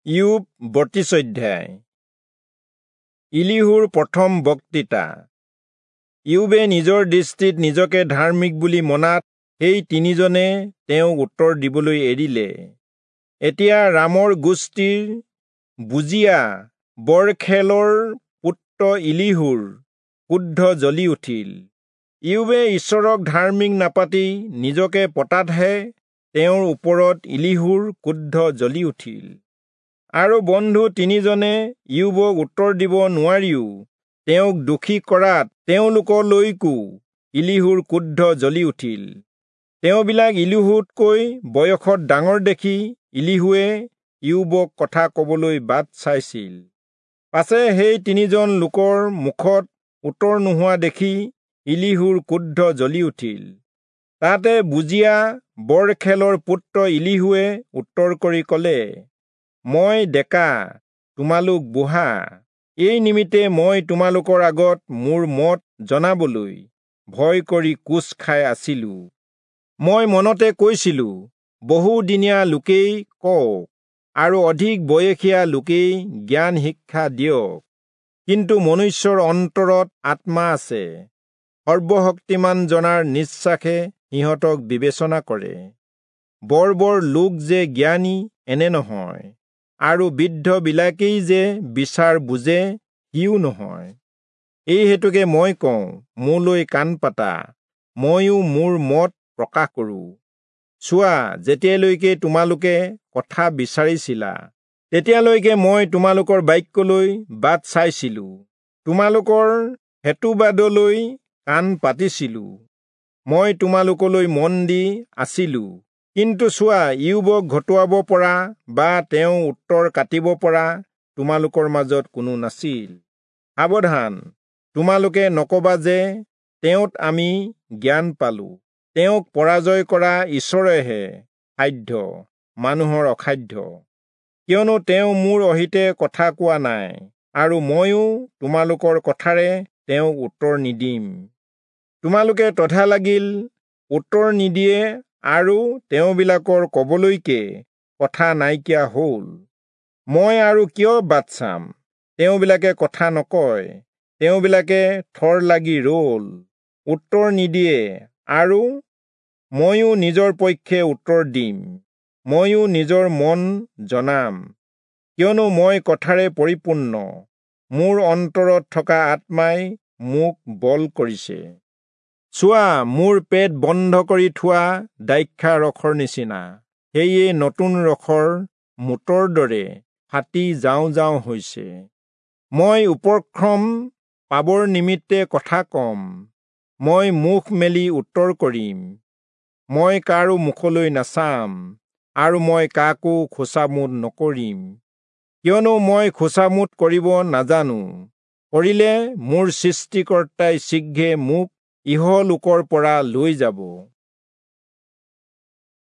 ইয়োব 32 অধ্যায়। ইলীহূৰ প্ৰথম বক্তৃতা। ইয়োবে নিজৰ দৃষ্টিত নিজকে ধাৰ্মিক বুলি মনাত সেই তিনিজনে তেওঁক উত্তৰ দিবলৈ এৰিলে। এতিয়া ৰামৰ গোষ্ঠীৰ বুজিয়া বৰখেলৰ পুত্ৰ ইলীহূৰ ক্ৰোধ জ্বলি উঠিল। ইয়োবে ঈশ্বৰক ধাৰ্মিক নাপাতি নিজকে পতাতহে তেওঁৰ ওপৰত ইলীহূৰ ক্ৰোধ জ্বলি উঠিল। আৰু বন্ধু তিনিজনে ইয়োবক উত্তৰ দিব নোৱাৰিও তেওঁক দোষী কৰাত তেওঁলোকলৈকো ইলীহূৰ ক্ৰোধ জ্বলি উঠিল। তেওঁবিলাক ইলীহূতকৈ বয়সত ডাঙৰ দেখি ইলীহূৱে ইয়োবক কথা কবলৈ বাট চাইছিল। পাছে সেই তিনিজন লোকৰ মুখত উত্তৰ নোহোৱা দেখি ইলীহূৰ ক্ৰোধ জ্বলি উঠিল। তাতে বুজিয়া বৰখেলৰ পুত্ৰ ইলীহূৱে উত্তৰ কৰি কলে, মই ডেকা, তোমালোক বুঢ়া, এই নিমিত্তে মই তোমালোকৰ আগত মোৰ মত জনাবলৈ ভয় কৰি কোঁচ খাই আছিলো। মই মনতে কৈছিলো, বহুদিনীয়া লোকেই কওক আৰু অধিক বয়সীয়া লোকেই জ্ঞান শিক্ষা দিয়ক। কিন্তু মনুষ্যৰ অন্তৰত আত্মা আছে, সৰ্বশক্তিমান জনাৰ নিশ্বাসে সিহঁতক বিবেচনা কৰে। বৰ বৰ লোক যে জ্ঞানী এনে নহয়, আৰু বৃদ্ধবিলাকেই যে বিচাৰ বুজে সিও নহয়। এই হেতুকে মই কওঁ, মোলৈ কাণ পাতা, ময়ো মোৰ মত প্ৰকাশ কৰোঁ। চোৱা, যেতিয়ালৈকে তোমালোকে কথা বিচাৰিছিলা, তেতিয়ালৈকে মই তোমালোকৰ বাক্যলৈ বাট চাইছিলো, তোমালোকৰ হেতুবাদলৈ কাণ পাতিছিলো। মই তোমালোকলৈ মন দি আছিলো। কিন্তু চোৱা, ইয়োবক ঘটুৱাব পৰা বা তেওঁ উত্তৰ কাটিব পৰা তোমালোকৰ মাজত কোনো নাছিল। সাৱধান, তোমালোকে নকবা যে তেওঁত আমি জ্ঞান পালো। তেওঁক পৰাজয় কৰা ঈশ্বৰেহে সাধ্য, মানুহৰ অসাধ্য। কিয়নো তেওঁ মোৰ অহিতে কথা কোৱা নাই, আৰু ময়ো তোমালোকৰ কথাৰে তেওঁক উত্তৰ নিদিম। তোমালোকে তধা লাগিল উত্তৰ নিদিয়ে, আৰু তেওঁবিলাকৰ কবলৈকে কথা নাইকিয়া হল। মই আৰু কিয় বাট চাম? তেওঁবিলাকে কথা নকয়, তেওঁবিলাকে থৰ লাগি ৰল, উত্তৰ নিদিয়ে, আৰু ময়ো নিজৰ পক্ষে উত্তৰ দিম, ময়ো নিজৰ মন জনাম। কিয়নো মই কথাৰে পৰিপূৰ্ণ, মোৰ অন্তৰত থকা আত্মাই মোক বল কৰিছে। চোৱা, মোৰ পেট বন্ধ কৰি থোৱা দ্ৰাক্ষা ৰসৰ নিচিনা, সেয়ে নতুন ৰসৰ মোটৰ দৰে ফাটি যাওঁ যাওঁ হৈছে। মই উপক্ৰম পাবৰ নিমিত্তে কথা কম, মই মুখ মেলি উত্তৰ কৰিম। মই কাৰো মুখলৈ নাচাম, আৰু মই কাকো খোচামোদ নকৰিম। কিয়নো মই খোচামোদ কৰিব নাজানো, কৰিলে মোৰ সৃষ্টিকৰ্তাই শীঘ্ৰে মোক ইহলোকৰ পৰা লৈ যাব।